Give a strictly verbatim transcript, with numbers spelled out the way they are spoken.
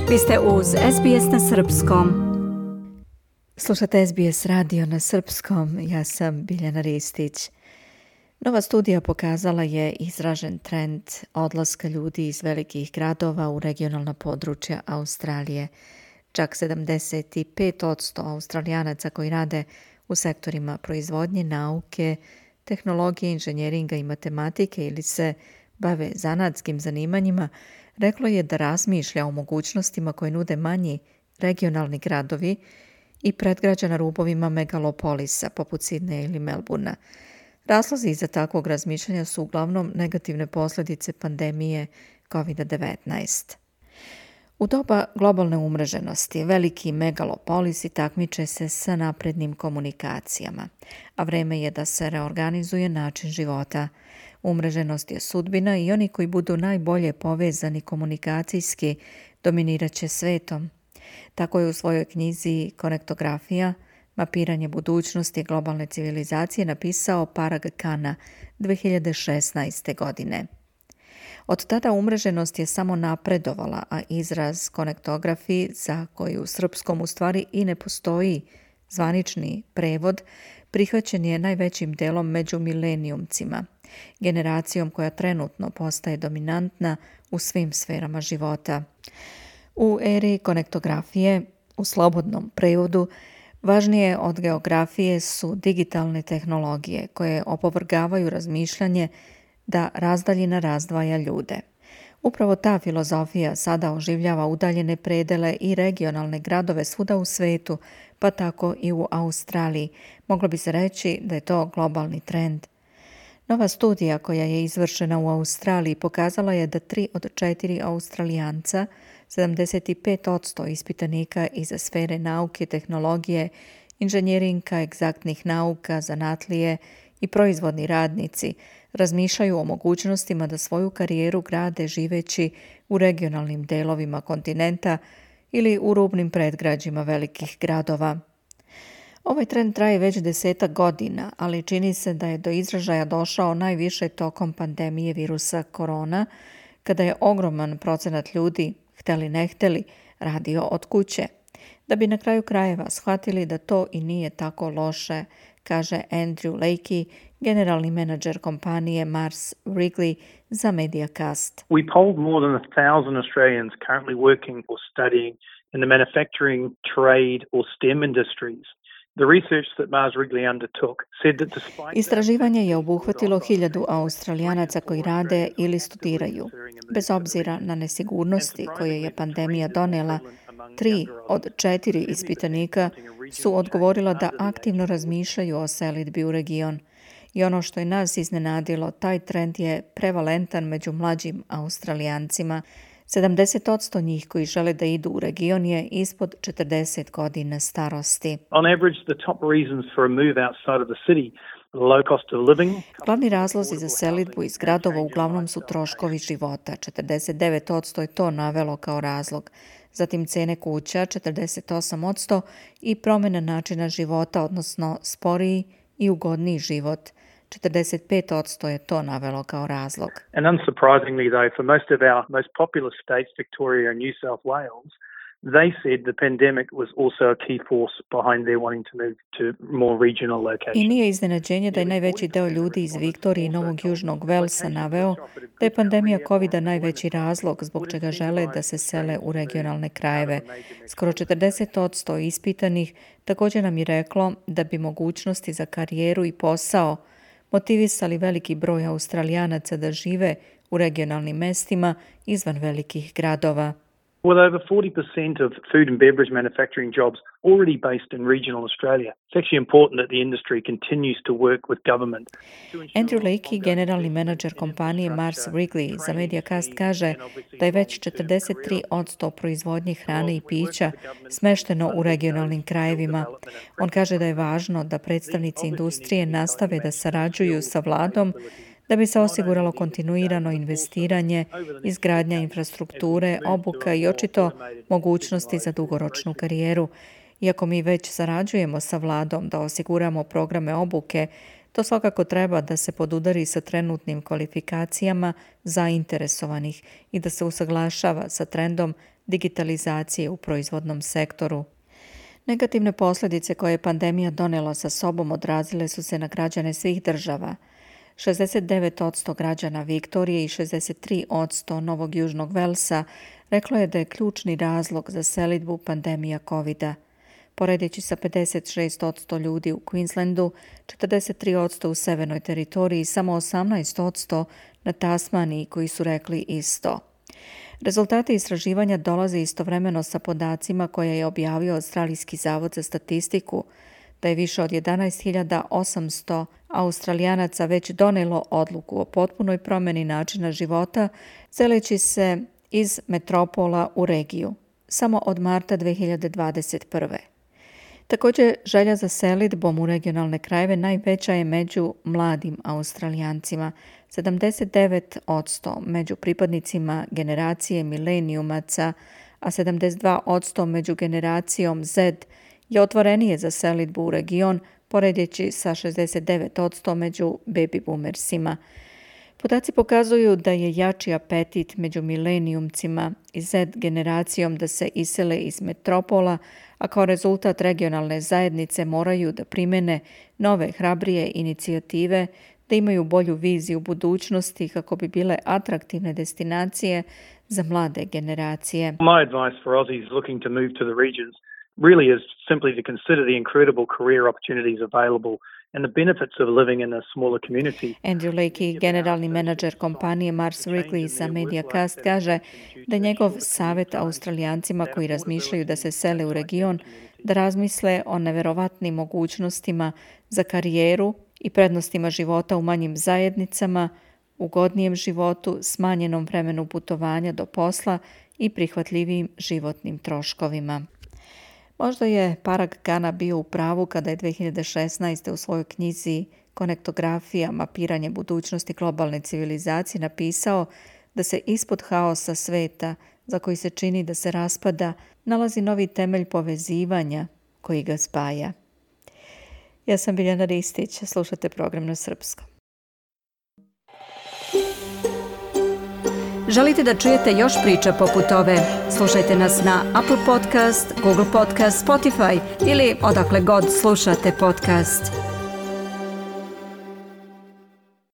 Vi ste uz S B S na srpskom. Slušate S B S radio na srpskom, ja sam Biljana Ristić. Nova studija pokazala je izražen trend odlaska ljudi iz velikih gradova u regionalna područja Australije. Čak sedamdeset pet posto Australijanaca koji rade u sektorima proizvodnje, nauke, tehnologije, inženjeringa i matematike ili se bave zanatskim zanimanjima, reklo je da razmišlja o mogućnostima koje nude manji regionalni gradovi i predgrađa na rubovima megalopolisa poput Sidneja ili Melbourna. Razlozi iza takvog razmišljanja su uglavnom negativne posljedice pandemije covid devetnaest. U doba globalne umreženosti veliki megalopolisi takmiče se sa naprednim komunikacijama, a vreme je da se reorganizuje način života. Umreženost je sudbina i oni koji budu najbolje povezani komunikacijski dominirat će svetom. Tako je u svojoj knjizi Konektografija, mapiranje budućnosti globalne civilizacije napisao Parag Khanna dvije hiljade šesnaeste. godine. Od tada umreženost je samo napredovala, a izraz konektografi, za koji u srpskom u stvari i ne postoji zvanični prevod, prihvaćen je najvećim delom među milenijumcima, generacijom koja trenutno postaje dominantna u svim sferama života. U eri konektografije, u slobodnom prevodu, važnije od geografije su digitalne tehnologije koje opovrgavaju razmišljanje da razdaljina razdvaja ljude. Upravo ta filozofija sada oživljava udaljene predele i regionalne gradove svuda u svetu, pa tako i u Australiji. Moglo bi se reći da je to globalni trend. Nova studija koja je izvršena u Australiji pokazala je da tri od četiri Australijanca, sedamdeset pet posto ispitanika iz sfere nauke, tehnologije, inženjeringa, egzaktnih nauka, zanatlije i proizvodni radnici razmišljaju o mogućnostima da svoju karijeru grade živeći u regionalnim delovima kontinenta ili u rubnim predgrađima velikih gradova. Ovaj trend traje već desetak godina, ali čini se da je do izražaja došao najviše tokom pandemije virusa korona, kada je ogroman procenat ljudi, hteli ne hteli, radio od kuće. Da bi na kraju krajeva shvatili da to i nije tako loše, kaže Andrew Lakey, generalni menadžer kompanije Mars Wrigley za Mediacast. We polled more than a thousand Australians currently working or studying in the manufacturing, trade or STEM industries. The research that Mars Wrigley undertook said that despite... Istraživanje je obuhvatilo hiljadu Australijanaca koji rade ili studiraju. Bez obzira na nesigurnosti koje je pandemija donela, tri od četiri ispitanika su odgovorila da aktivno razmišljaju o selidbi u region. I ono što je nas iznenadilo, taj trend je prevalentan među mlađim Australijancima. sedamdeset posto njih koji žele da idu u region je ispod četrdeset godina starosti. On average, the top reasons for a move outside of the city, low cost of living. Glavni razlozi za selidbu iz gradova uglavnom su troškovi života. četrdeset devet posto je to navelo kao razlog. Zatim cene kuća, četrdeset osam posto, i promjena načina života, odnosno sporiji i ugodniji život. četrdeset pet posto je to navelo kao razlog. And unsurprisingly though, for most of our most populous states, Victoria and New South Wales, they said the pandemic was also a key force behind their wanting to move to more regional locations. I nije iznenađenje da je najveći deo ljudi iz Viktorije i Novog Južnog Velsa naveo da je pandemija covida najveći razlog zbog čega žele da se sele u regionalne krajeve. Skoro četrdeset posto ispitanih također nam je reklo da bi mogućnosti za karijeru i posao motivisali veliki broj Australijanaca da žive u regionalnim mestima izvan velikih gradova. With over forty percent of food and beverage manufacturing jobs already based in regional Australia, it's actually important that the industry continues to work with government. Andrew Lakey, generalni menadžer kompanije Mars Wrigley za Mediacast, kaže da je već četrdeset tri posto proizvodnje hrane i pića smešteno u regionalnim krajevima. On kaže da je važno da predstavnici industrije nastave da sarađuju sa vladom da bi se osiguralo kontinuirano investiranje, izgradnja infrastrukture, obuka i očito mogućnosti za dugoročnu karijeru. Iako mi već sarađujemo sa vladom da osiguramo programe obuke, to svakako treba da se podudari sa trenutnim kvalifikacijama zainteresovanih i da se usaglašava sa trendom digitalizacije u proizvodnom sektoru. Negativne posljedice koje je pandemija donela sa sobom odrazile su se na građane svih država. šezdeset devet posto građana Viktorije i šezdeset tri posto Novog Južnog Velsa reklo je da je ključni razlog za selidbu pandemija kovida. Poredeći sa pedeset šest posto ljudi u Queenslandu, četrdeset tri posto u Severnoj teritoriji i samo osamnaest posto na Tasmaniji koji su rekli isto. Rezultati istraživanja dolaze istovremeno sa podacima koje je objavio Australijski zavod za statistiku, da je više od jedanaest hiljada osamsto Australijanaca već donijelo odluku o potpunoj promjeni načina života, seleći se iz metropola u regiju, samo od marta dvije hiljade dvadeset prve. Također, želja za selidbom u regionalne krajeve najveća je među mladim Australijancima, sedamdeset devet posto među pripadnicima generacije milenijumaca, a sedamdeset dva posto među generacijom Z je otvorenije za selidbu u region, poredjeći sa šezdeset devet posto među baby boomersima. Podaci pokazuju da je jači apetit među milenijumcima i Z generacijom da se isele iz metropola, a kao rezultat regionalne zajednice moraju da primene nove hrabrije inicijative, da imaju bolju viziju budućnosti kako bi bile atraktivne destinacije za mlade generacije. My advice for Aussies looking to move to the regions really is simply to consider the incredible career opportunities available and the benefits of living in a smaller community. Andrew Lakey, generalni menadžer kompanije Mars Wrigley za Mediacast, kaže da njegov savjet Australijancima koji razmišljaju da se sele u region, da razmisle o neverovatnim mogućnostima za karijeru i prednostima života u manjim zajednicama, ugodnijem životu, smanjenom vremenu putovanja do posla i prihvatljivim životnim troškovima. Možda je Parag Khanna bio u pravu kada je dvije hiljade šesnaeste. u svojoj knjizi Konektografija, mapiranje budućnosti globalne civilizacije napisao da se ispod haosa sveta, za koji se čini da se raspada, nalazi novi temelj povezivanja koji ga spaja. Ja sam Biljana Ristić, slušate program na srpskom. Želite da čujete još priča poput ove? Slušajte nas na Apple Podcast, Google Podcast, Spotify ili odakle god slušate podcast.